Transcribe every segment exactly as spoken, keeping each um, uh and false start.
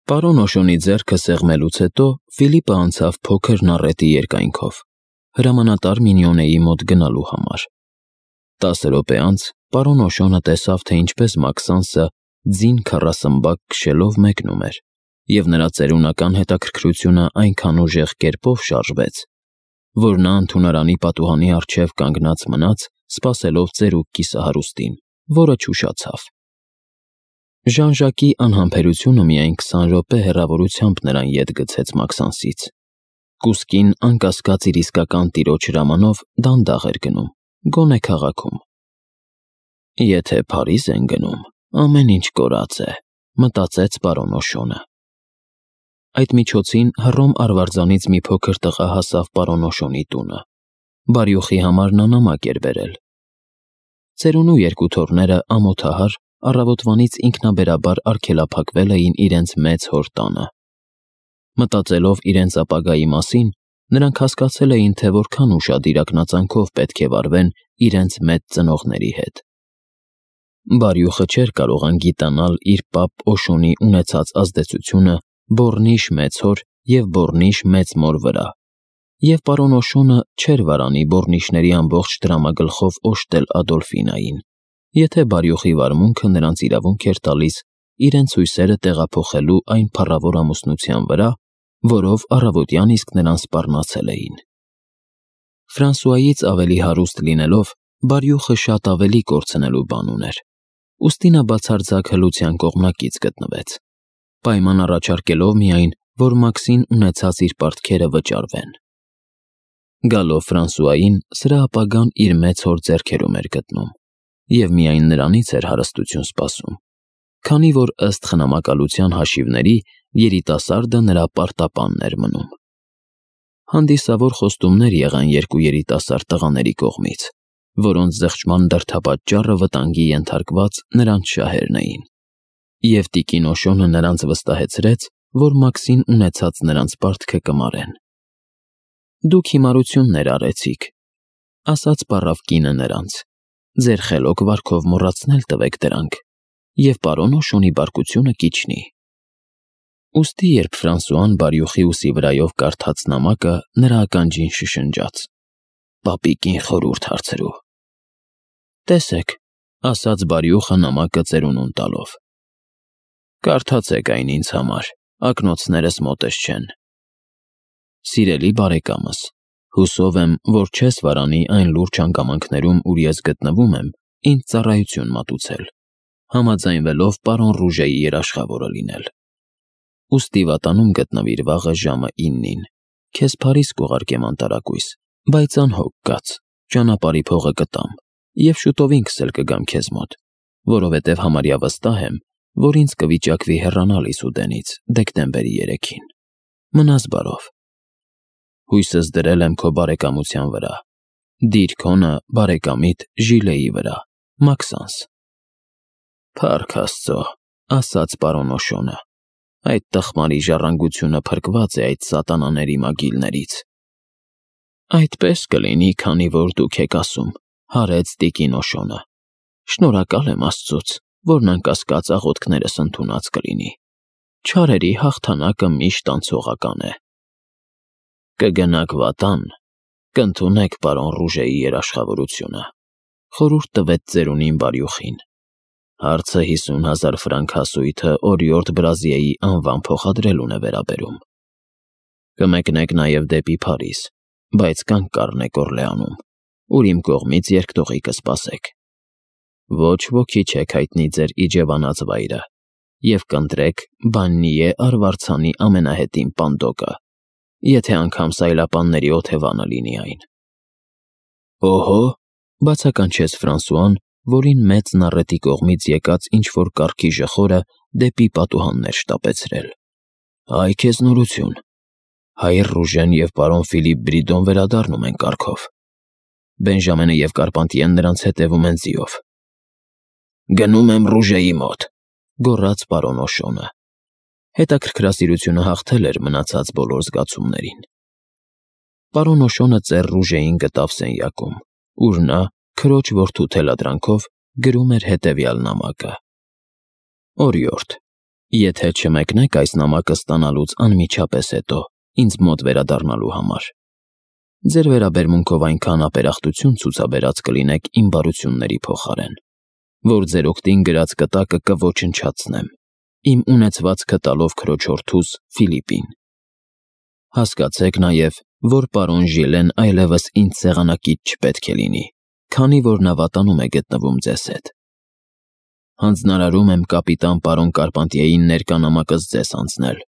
Պարոն Օշոնի ձեռքը սեղմելուց հետո Ֆիլիպը անցավ փոքր նառետի երկայնքով, հրամանատար Մինյոնեի մոտ գնալու համար։ Տասը րոպե անց պարոն Օշոնը տեսավ, թե ինչպես Մաքսանսը ձին քառասմբակ քշելով մեկնում էր, և նրա ծերունական հետաքրքրությունը այնքան ուժեղ կերպով շարժվեց, որ նա ընդունարանի պատուհանի առջև կանգնած մնաց, սպասելով ծերուկ կիսահարուստին, որը չուշացավ։ Ժան-Ժակի անհամբերությունը միայն քսան րոպե հեռավորությամբ նրան ետ գցեց Մաքսանսից։ Կուսկին, անկասկած իր իսկական տիրոջ հրամանով, դանդաղ էր գնում, գոնե քաղաքում։ «Եթե Փարիզ են գնում, ամեն ինչ կորած է», մտածեց պարոն Օշոնը։ Այդ միջոցին Հռոմ արվարձանից մի փոքր տղա հասավ պարոն Օշոնի տունը։ Բարյուխի համար նա նամակ էր բերել։ Ծերունու երկու թոռները ամոթահար առավոտվանից ինքնաբերաբար արգելափակվել էին իրենց մեծ հոր տանը։ Մտածելով իրենց ապագայի մասին, նրանք հասկացել էին, թե որքան ուշադիր իրաքնածանքով պետք է վարվեն իրենց մեծ ծնողների հետ։ Բարյուխը չէր կարող անգիտանալ իր պապ Օշոնի ունեցած ազդեցությունը Բոռնիշ մեծ հոր և Բոռնիշ մեծ մոր վրա, և պարոն Օշոնը չէր վարանի Բոռնիշների ամբողջ դրամագլխով օժտել Ադոլֆինային, եթե Բարյուխի վարմունքը նրանց իրավունք էր տալիս իրենց հույսերը տեղափոխելու այն փառավոր ամուսնության վրա, որով առավոտյան իսկ նրան սպառնացել էին։ Ֆրանսուայից ավելի հարուստ լինելով, Բարյուխը շատ ավելի կորցնելու բան ուներ, ուստի նա բացարձակ հլության կողմնակից գտնվեց, պայման առաջարկելով միայն, որ Մաքսին ունեցած իր պարտքերը վճարվեն։ Գալով Ֆրանսուային, սրա ապագան իր մեծ հոր ձեռքերում էր գտնում, և միայն նրանից էր հարստություն սպասում, քանի որ ըստ խնամակալության հաշիվների երիտասարդը նրա պարտապանն էր մնում։ Հանդիսավոր խոստումներ եղան երկու երիտասարդ տղաների կողմից, որոնց զղջման դրդապատճառը վտանգի ենթարկված նրանց շահերն էին, և տիկին Օշոնը նրանց վստահեցրեց, որ Մաքսին ունեցած նրանց պարտքը կմարեն։ «Դուք հիմարություններ արեցիք», ասաց պառավ կինը նրանց, «ձեր խելոք վարքով մոռացնել տվեք դրանք, և պարոն Օշոնի բարկությունը կիջնի»։ Ուստի երբ Ֆրանսուան Բարյուխի ուսի վրայով կարդաց նամակը, նրա ականջին շշնջաց. «Պապիկին խորհուրդ հարցրու»։ «Տեսեք», ասաց Բարյուխը նամակը ծերունուն տալով, «կարդացեք այն ինձ համար, ակնոցներս մոտս չեն։ Սիրելի բարեկամս, հուսով եմ, որ չես վարանի այն լուրջ հանգամանքներում, ուր ես գտնվում եմ, ինձ ծառայություն մատուցել, համաձայնվելով պարոն Ռուժեի երաշխավորը լինել։ Ուստի վատանում գտնվիր վաղը ժամը իննին, քեզ Փարիզ կուղարկեմ անտարակույս, բայց անհոգ կաց, ճանապարհի փողը կտամ, և շուտով ինքս էլ կգամ քեզ մոտ, որովհետև համարյա վստահ եմ, որ ինձ կվիճակվի հեռանալ Իսուդենից դեկտեմբերի երեքին։ Մնաս բարով։ Հույսս դրել եմ քո բարեկամության վրա։ Դիր քոնը բարեկամիդ Ժիլեի վրա, Մաքսանս»։ «Փառք Աստծո», ասաց պարոն Օշոնը, «այդ տխմարի ժառանգությունը փրկված է այդ սատանաների մագիլներից»։ «Այդպես կլինի, քանի որ դուք եք ասում», հարեց տիկին Օշոնը։ «Շնորհակալ եմ Աստծուց, որն անկասկած աղոթքներս ընդունած կլինի։ Չարերի հաղթանակը միշտ անցողական է»։ «Կգնաք վատան, կընդունեք պարոն Ռուժեի երաշխավորությունը», խորհուրդ տվեց ծերունին Բարյուխին։ «Հարցը հիսուն հազար ֆրանկ հասույթը օրիորդ Բրազիեի անվան փոխադրելուն է վերաբերում։ Կմեկնեք նաև դեպի Փարիզ, բայց կանգ կառնեք Օռլեանում, ուր իմ կողմից երկտողի կսպասեք։ Ոչ ոքի չեք հայտնի ձեր իջևանած վայրը, և կընտրեք Բաննիե արվարձանի ամենահետին պանդոկը, եթե անգամ սայլապանների օթևանը լինի այն»։ «Օհո», բացականչեց Ֆրանսուան, որին մեծ նառետի կողմից եկած ինչ-որ կառքի ժխորը դեպի պատուհաններ շտապեցրել, «այ քեզ նորություն։ Հայր Ռուժեն և պարոն Ֆիլիպ Բրիդոն վերադառնում են կառքով։ Բենժամենը և Կարպանտիեն նրանց հետևում են ձիով»։ «Գնում եմ Ռուժեի մոտ», գոռաց պարոն Օշոնը։ Հետաքրքրասիրությունը հաղթել էր մնացած բոլոր զգացումներին։ Պարոն Օշոնը ծեր Ռուժեին գտավ սենյակում, ուր նա, քրոջ որդու թելադրանքով, գրում էր հետևյալ նամակը. «Օրիորդ, Եթե չմեկնեք այս նամակը ստանալուց անմիջապես հետո ինձ մոտ վերադառնալու համար, ձեր վերաբերմունքով այնքան ապերախտություն ցուցաբերած կլինեք իմ բարությունների փոխարեն, որ ձեր օգտին գրած կտակը կոչնչացնեմ, իմ ունեցվածքը տալով քրոջորդուս Ֆիլիպին։ Հասկացեք նաև, որ պարոն Ժիլեն այլևս ինձ սեղանակից չպետք է լինի, քանի որ նա վատանում է գտնվում ձեզ հետ։ Հանձնարարում եմ կապիտան պարոն Կարպանտիեին ներկա նամակս ձեզ անցնել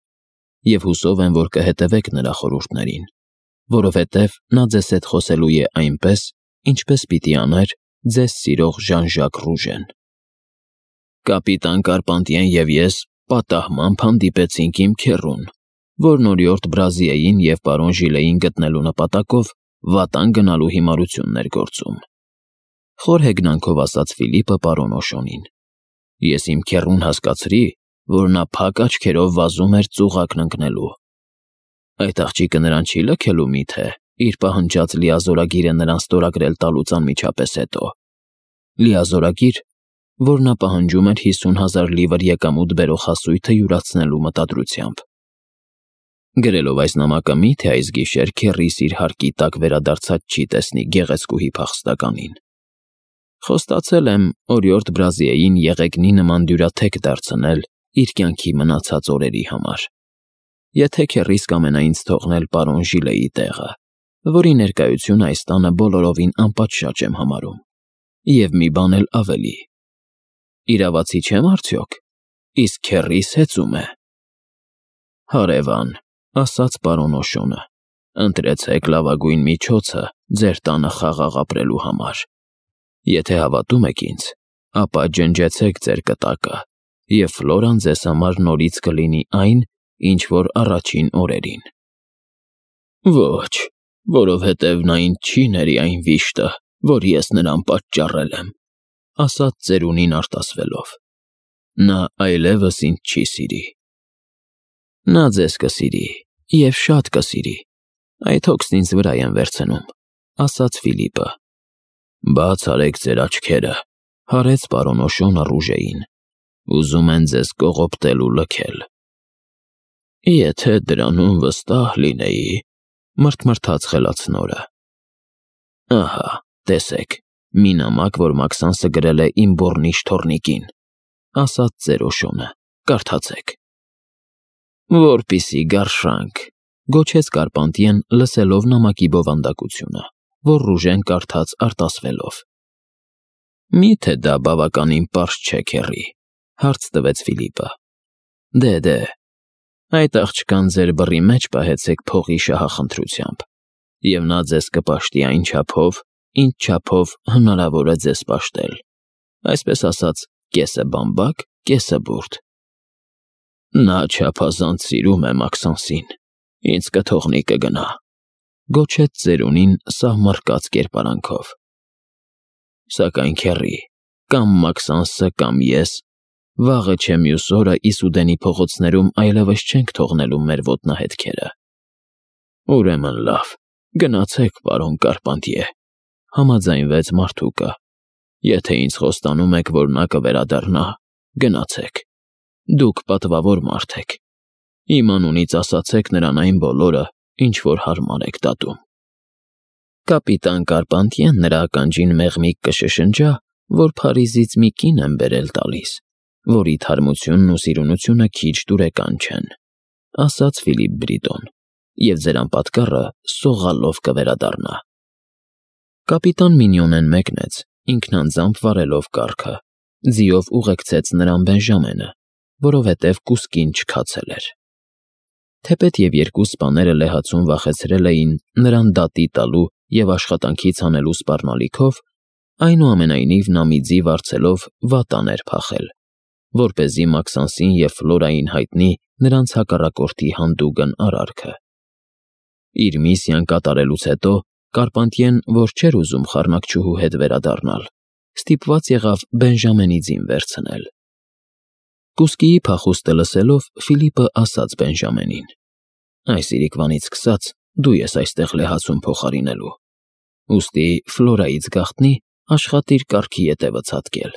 և հուսով եմ, որ կհետևեք նրա խորհուրդներին, որովհետև նա ձեզ հետ խոսելու է այնպես, ինչպես պիտի աներ ձեզ սիրող Ժան-Ժակ Ռուժեն։ Կապիտան Կարպանտիեն և ես պատահմամբ հանդիպեցինք իմ քեռուն, որն օրիորդ Բրազիեին և պարոն Ժիլեին գտնելու նպատակով վատան գնալու հիմարություններ գործում, խոր հեգնանքով ասաց Ֆիլիպը պարոն Օշոնին։ Ես իմ քեռուն հասկացրի, որ նա փակ աչքերով վազում էր ծուղակն ընկնելու։ Այդ աղջիկը նրան չի լքելու միթե իր պահանջած լիազորագիրը նրան ստորագրել տալուց անմիջապես հետո։ Լիազորագիր, որ նա պահանջում էր հիսուն հազար լիվր եկամուտ բերող հասույթը յուրացնելու մտադրությամբ։ Գրելով այս նամակը միթե այս գիշեր քեռիս իր հարկի տակ վերադարձած չի տեսնի գեղեցկուհի փախստականին։ Խոստացել եմ օրիորդ Բրազիեին եղեգնի նման դյուրաթեք դարձնել իր կյանքի մնացած օրերի համար, եթե քեռիս կամենա ինձ թողնել պարոն Ժիլեի տեղը, որի ներկայությունը այս տանը բոլորովին անպատշաճ եմ համարում, և մի բան էլ ավելի. իրավացի չեմ արդյոք, իսկ քեռիս հեծում է։ Հարևան, ասաց պարոն Օշոնը, ընտրեցեք լավագույն միջոցը ձեր տանը խաղաղ ապրելու համար։ Եթե հավատում եք ինձ, ապա ջնջեցեք ձեր կտակը, և Ֆլորան ձեզ համար նորից կլինի այն, ինչ որ առաջին օրերին։ Ոչ, որովհետև նա ինձ չի ների այն վիշտը, որ ես նրան պատճառել եմ, ասաց ծերունին արտասվելով։ Նա այլևս ինձ չի սիրի։ Նա ձեզ կսիրի, և շատ կսիրի, այդ հոգսն ինձ վրա եմ վերցնում, ասաց Ֆիլիպը։ Բաց արեք ձեր աչքերը, հարեց պարոն Օշոնը Ռուժեին, ուզում են ձեզ կողոպտել ու լքել։ Եթե դրանում վստահ լինեի, մռթմռթաց խելացնորը։ Ահա, տեսեք, մի նամակ, որ Մաքսանսը գրել է իմ բոռնիչ թոռնիկին, ասաց ծեր Օշոնը, կարդացեք։ Որպիսի գարշանք, գոչեց Կարպանտիեն, լսելով նամակի բովանդակությունը, որ Ռուժեն կարդաց արտասվելով։ Միթե դա բավականին պարզ չէ, քեռի, հարց տվեց Ֆիլիպը։ Դե, դե, այդ աղջկան ձեր բռի մեջ պահեցեք փողի շահախնդրությամբ, և նա ձեզ կպաշտի այն չափով, ինչ չափով հնարավոր է ձեզ պաշտել, այսպես ասած, կեսը բամբակ, կեսը բուրդ։ Նա չափազանց սիրում է Մաքսանսին, ինձ կթողնի կգնա, գոչեց ծերունին սահմռկած կերպարանքով։ Սակայն քեռի, կամ Մաքսանսը, կամ ես, վաղը չէ մյուս օրը Իսուդենի փողոցներում այլևս չենք թողնելու մեր ոտնահետքերը։ Ուրեմն լավ, գնացեք, պարոն Կարպանտիե, համաձայնվեց մարդուկը, եթե ինձ խոստանում եք, որ նա կվերադառնա, գնացեք, դուք պատվավոր մարդ եք, իմ անունից ասացեք նրան այն բոլորը, ինչ որ հարմար եք դատում։ Կապիտան Կարպանտիեն նրա ականջին մեղմիկ կշշնջա, որ Փարիզից մի կին եմ բերել տալիս, որի թարմությունն ու սիրունությունը քիչ դուրեկան չեն, ասաց Ֆիլիպ Բրիտոն, և ձեր անպատկառը սողալով կվերադառնա։ Կապիտան Մինյոնեն մեկնեց, ինքնանձամբ վարելով կառքը, ձիով ուղեկցեց նրան Բենժամենը, որովհետև կուսկին չքացել էր։ Թեպետ և երկու սպաները լեհացուն վախեցրել էին նրան դատի տալու և աշխատանքից հանելու սպառնալիքով, այնուամենայնիվ նա մի ձի վարձելով վատան էր փախել, որպեսզի Մաքսանսին և Ֆլորային հայտնի նրանց հակառակորդի հանդուգն արարքը։ Իր միսիան կատարելուց հետո Կարպանտիեն, որ չէր ուզում խառնակչուհու հետ վերադառնալ, ստիպված եղավ Բենժամենի ձին վերցնել։ Կուսկիի փախուստը լսելով Ֆիլիպը ասաց Բենժամենին. Այս իրիկվանից սկսած դու ես այստեղ լեհացուն փոխարինելու, ուստի Ֆլորայից գաղտնի աշխատիր կառքի ետևը ցատկել,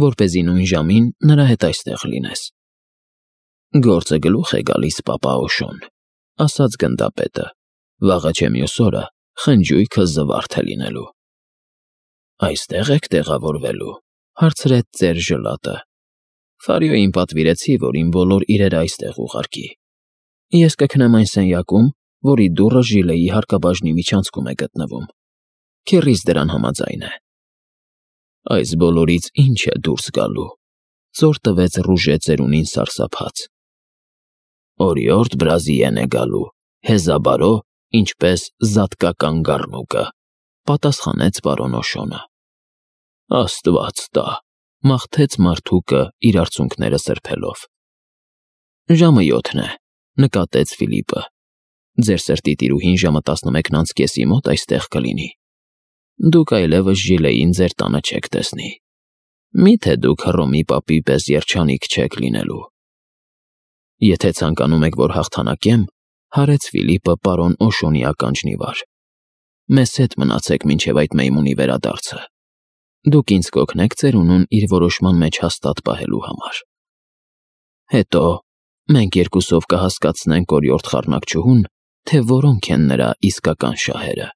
որպեսզի նույն ժամին նրա հետ այստեղ լինես։ Գործը գլուխ է գալիս, պապա Օշոն, ասաց գնդապետը, վաղը չէ մյուս օրը խնջույքը զվարթ է լինելու։ Այստեղ եք տեղավորվելու, հարցրեց ծեր Ժլատը։ Ֆարիոյին պատվիրեցի, որ իմ բոլոր իրերը այստեղ ուղարկի։ Ես կքնեմ այն սենյակում, որի դուռը Ժիլեի հարկաբաժնի միջանցքում է գտնվում։ Քեռիս դրան համաձայն է։ Այս բոլորից ինչ է դուրս գալու, ծոր տվեց Ռուժե ծերունին սարսափած։ Օրիորդ Բրազիեն է գալու, հեզաբարո, ինչպես զատկական գառնուկը, պատասխանեց պարոն Օշոնը։ Աստված տա, մաղթեց մարդուկը իր արցունքները սրբելով։ Ժամը յոթն է, նկատեց Ֆիլիպը։ Ձեր սրտի տիրուհին ժամը տասնմեկն անց կեսի մոտ այստեղ կլինի։ Դուք այլևս Ժիլեին ձեր տանը չեք տեսնի։ Միթե դուք Հռոմի պապի պես երջանիկ չեք լինելու։ Եթե ցանկանում եք, որ հաղթանակեմ, հարեց Ֆիլիպը պարոն Օշոնի ականջն ի վար, մեզ հետ մնացեք մինչև այդ մեյմունի վերադարձը։ Դուք ինձ կօգնեք ծերունուն իր որոշման մեջ հաստատ պահելու համար։ Հետո մենք երկուսով կհասկացնենք օրիորդ խառնակչուհուն, թե որոնք են նրա իսկական շահերը։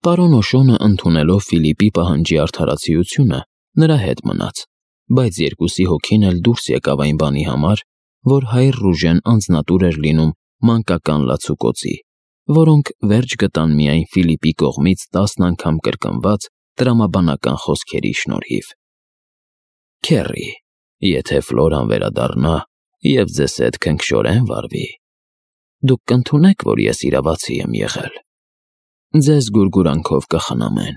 Պարոն Օշոնը ընդունելով Ֆիլիպի պահանջի արդարացիությունը, նրա հետ մնաց, բայց երկուսի հոգին էլ դուրս եկավ այն բանի համար, որ հայր Ռուժեն անձնատուր էր լինում մանկական լացուկոցի, որոնք վերջ գտան միայն Ֆիլիպի կողմից տասն անգամ կրկնված տրամաբանական խոսքերի շնորհիվ։ Քեռի, եթե Ֆլորան վերադառնա և ձեզ հետ քնքշորեն վարվի, դուք կընդունեք, որ ես իրավացի եմ եղել։ Ձեզ գուրգուրանքով կխնամեն,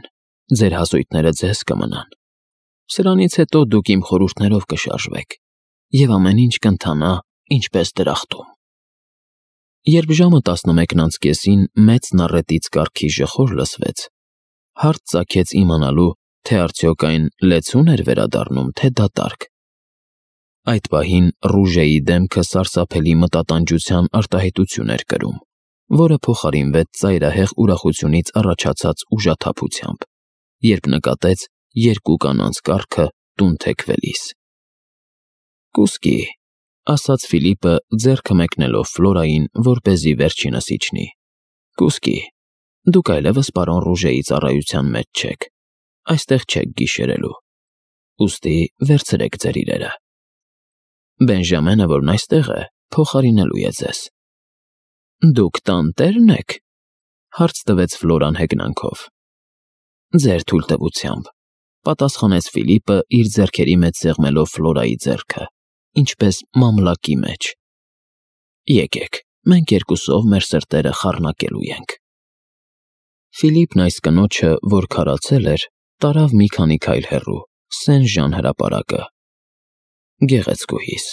ձեր հասույթները ձեզ կմնան։ Սրանից հետո դուք իմ խորհուրդներով կշարժվեք, և ամեն ինչ կընթանա ինչպես դրախտում։ Երբ ժամը տասնմեկն անց կեսին մեծ նառետից կառքի ժխոր լսվեց, հարց ծագեց իմանալու, թե արդյոք այն լեցուն էր վերադառնում, թե դատարկ։ Այդ պահին Ռուժեի դեմքը սարսափելի մտատանջության արտահայտություն էր կրում, որը փոխարինվեց ծայրահեղ ուրախությունից առաջացած ուժաթափությամբ, երբ նկատեց երկու կանանց կառքը տուն թեքվելիս։ Կուսկի, ասաց Ֆիլիպը ձեռքը մեկնելով Ֆլորային, որպեսզի վերջինս իջնի։ Կուսկի, դուք այլևս պարոն Ռուժեի ծառայության մեջ չեք, այստեղ չեք գիշերելու։ Ուստի վերցրեք ձեր իրերը։ Բենժամենը, որն այստեղ է, փոխարինելու է ձեզ։ Դուք տանտե՞րն եք, հարց տվեց Ֆլորան հեգնանքով։ Ձեր թույլտվությամբ, պատասխանեց Ֆիլիպը իր ձեռքերի մեջ սեղմելով Ֆլորայի ձեռքը, ինչպես մամլակի մեջ։ Եկեք, մենք երկուսով մեր սրտերը խառնակելու ենք։ Ֆիլիպն այս կնոջը, որ քարացել էր, տարավ մի քանի քայլ հեռու, Սեն-Ժան հրապարակը։ Գեղեցկուհիս,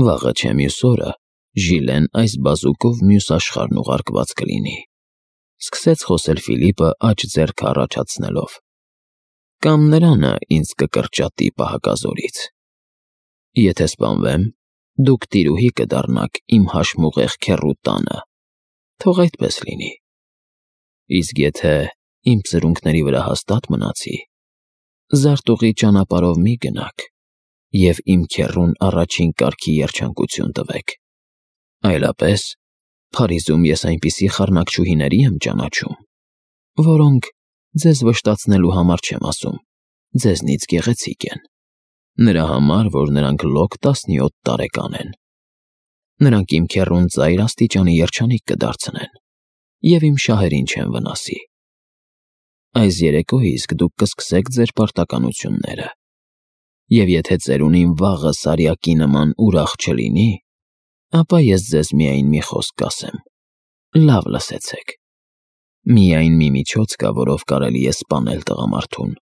վաղը չէ մյուս օրը Ժիլեն այս բազուկով մյուս աշխարհն ուղարկված կլինի, սկսեց խոսել Ֆիլիպը աջ ձեռքը առաջացնելով։ Կամ նրանը ինձ կկրճատի պահակազորից։ Եթե սպանվեմ, դուք տիրուհի կդառնաք իմ հաշմուղեղ քեռու տանը, թող այդպես լինի։ Իսկ եթե իմ ծրունքների վրա հաստատ մնացի, զարտուղի ճանապարհով մի գնաք և իմ քեռուն առաջին կարգի երջանկություն տվեք։ Այլապես Փարիզում ես այնպիսի խառնակչուհիների եմ ճանաչում, որոնք, ձեզ վշտացնելու համար չեմ ասում, ձեզնից գեղեցիկ են, նրա համար, որ նրանք լոկ տասնյոթ տարեկան են։ Նրանք իմ քեռուն ծայր աստիճանի երջանիկ կդարձնեն, և իմ շահերին չեն վնասի։ Այս երեկո իսկ դուք կսկսեք ձեր պարտականությունները, և եթե ծերունին վաղը սարյակի նման ուրախ չլինի, ապա ես ձեզ միայն մի խոսք կասեմ, լավ լսեցեք։ Միայն մի միջոց կա, որով կարելի է սպանել տղամարդուն,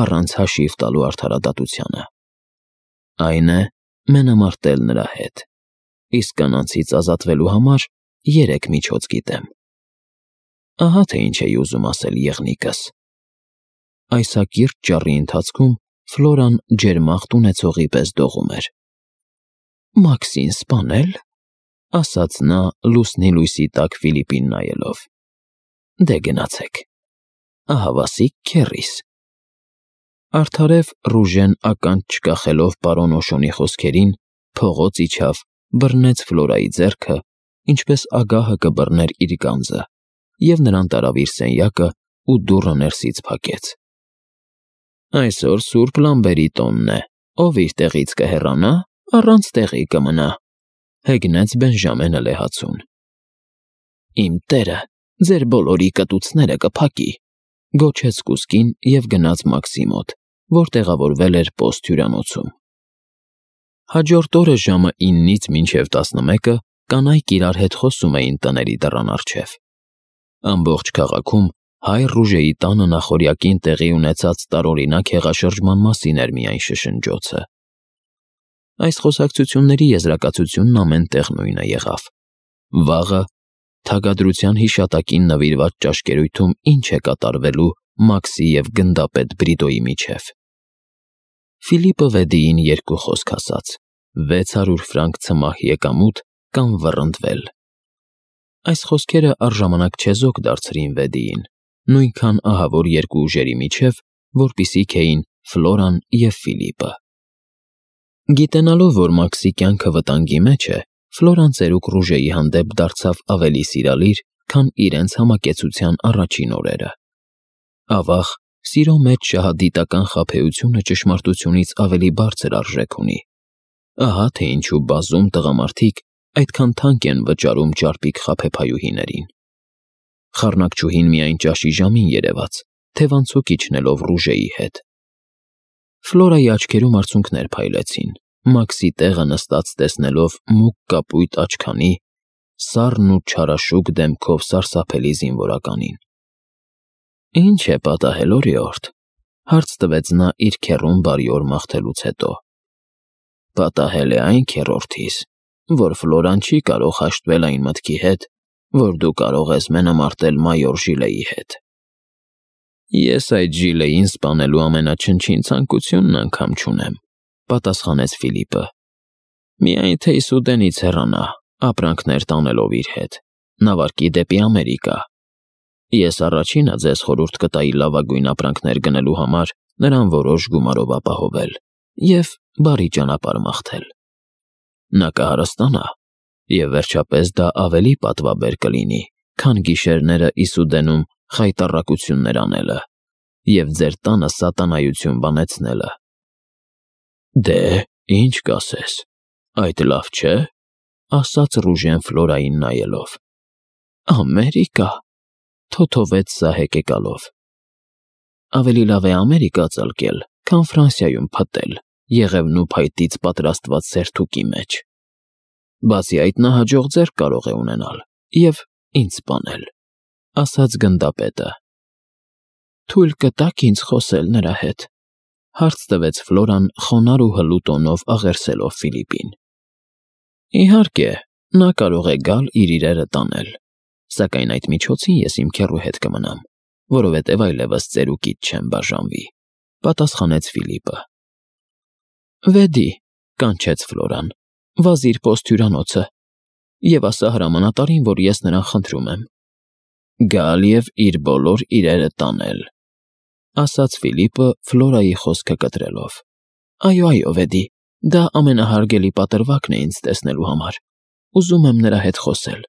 առանց հաշիվ տալու արդարադատությանը։ Այն է մենամարտել նրա հետ, իսկ կանանցից ազատվելու համար երեք միջոց գիտեմ։ Ահա թե ինչ էի ուզում ասել եղնիկս։ Այս հակիրճ ճառի ընթացքում Ֆլորան ջերմաղթ ունեցողի պես դողում էր։ Մաքսին սպանել, ասաց նա լուսնի լույսի տակ Ֆիլիպին նայելով։ Դե գնացեք, ահավասիկ քեռիս։ Արդարև Ռուժեն ականջ չկախելով պարոն Օշոնի խոսքերին, փողոց իջավ, բռնեց Ֆլորայի ձեռքը, ինչպես ագահը կբռներ իր գանձը, և նրան տարավ իր սենյակը ու դուռը ներսից փակեց։ Այսօր Սուրբ Լամբերի տոնն է, ով իր տեղից կհեռանա, առանց տեղի կմնա, հեգնեց Բենժամենը լեհացուն։ Իմ տերը ձեր բոլորի կտուցները կփակի, գոչեց կուսկին և գնաց Մաքսի մոտ, որ տեղավորվել էր պոստ հյուրանոցում։ Հաջորդ օրը ժամը իննից մինչև տասնմեկը կանայք իրար հետ խոսում էին տների դռան առջև։ Ամբողջ քաղաքում հայ Ռուժեի տանը նախօրյակին տեղի ունեցած տարօրինակ հեղաշրջման մասին էր միայն շշնջոցը։ Այս խոսակցությունների եզրակացությունն ամեն տեղ նույնը եղավ։ Վաղը թագադրության հիշատակին նվիրված ճաշկերույթում ինչ է կատարվելու Մաքսի և գնդապետ Բրիտոյի միջև։ Ֆիլիպը Վեդիին երկու խոսք ասաց. վեց հարյուր ֆրանկ ցմահ եկամուտ կամ վռնդվել։ Այս խոսքերը առժամանակ չեզոք դարձրին Վեդիին, նույնքան ահավոր երկու ուժերի միջև, որպիսիք էին Ֆլորան և Ֆիլիպը։ Գիտենալով, որ Մաքսի կյանքը վտանգի մեջ է, Ֆլորան ծերուկ Ռուժեի հանդեպ դարձավ ավելի սիրալիր, քան իրենց համակեցության առաջին օրերը։ Ավաղ, սիրո մեջ շահադիտական խաբեությունը ճշմարտությունից ավելի բարձր արժեք ունի։ Ահա թե ինչու բազում տղամարդիկ այդքան թանկ են վճարում ճարպիկ խաբեբայուհիներին։ Խառնակչուհին միայն ճաշի ժամին երևաց, թևանցուկ իջնելով Ռուժեի հետ։ Ֆլորայի աչքերում արցունքներ փայլեցին, Մաքսի տեղը նստած տեսնելով մուգ կապույտ աչքանի, սառն ու չարաշուք դեմքով սարսափելի զինվորականին։ Ինչ է պատահել, օրիորդ, հարց տվեց նա իր քեռուն բարիօր մաղթելուց հետո։ Պատահել է այն, քեռորդիս, որ Ֆլորան չի կարող հաշտվել այն մտքի հետ, որ դու կարող ես մենամարտել մայոր Ժիլեի հետ։ Ես այդ Ժիլեին սպանելու ամենաչնչին ցանկությունն անգամ չունեմ, պատասխանեց Ֆիլիպը։ Միայն թե Իսուդենից հեռանա, ապրանքներ տանելով իր հետ, նավարկի դեպի Ամերիկա։ Ես առաջինը ձեզ խորհուրդ կտայի լավագույն ապրանքներ գնելու համար նրան որոշ գումարով ապահովել և բարի ճանապարհ մաղթել։ Նա կհարստանա, և վերջապես դա ավելի պատվաբեր կլինի, քան գիշերները Իսուդենում խայտառակություններ անելը և ձեր տանը սատանայություն բանեցնելը։ Դե, ինչ կասես, այդ լավ չէ, ասաց Ռուժեն Ֆլորային նայելով։ Ամերիկա, թոթովեց սա հեկեկալով։ Ավելի լավ է Ամերիկա ծլկել, քան Ֆրանսիայում փտել, եղևնու փայտից պատրաստված սերթուկի մեջ։ Բացի այդ նա հաջող ձեռք կարող է ունենալ և ինձ սպանել, ասաց գնդապետը։ Թույլ կտաք ինձ խոսել նրա հետ, հարց տվեց Ֆլորան խոնարհ ու հլու տոնով աղերսելով Ֆիլիպին։ Իհարկե, նա կարող է գալ իր իրերը տանել, սակայն այդ միջոցին ես իմ քեռու հետ կմնամ, որովհետև այլևս ծերուկից չեմ բաժանվի, պատասխանեց Ֆիլիպը։ Վեդի, կանչեց Ֆլորան, վազիր պոստ հյուրանոցը և ասա հրամանատարին, որ ես նրան խնդրում եմ։ Գալ և իր բոլոր իրերը տանել, ասաց Ֆիլիպը Ֆլորայի խոսքը կտրելով։ Այո, այո, Վեդի, դա ամենահարգելի պատրվակն է ինձ տեսնելու համար։ Ուզում եմ նրա հետ խոսել։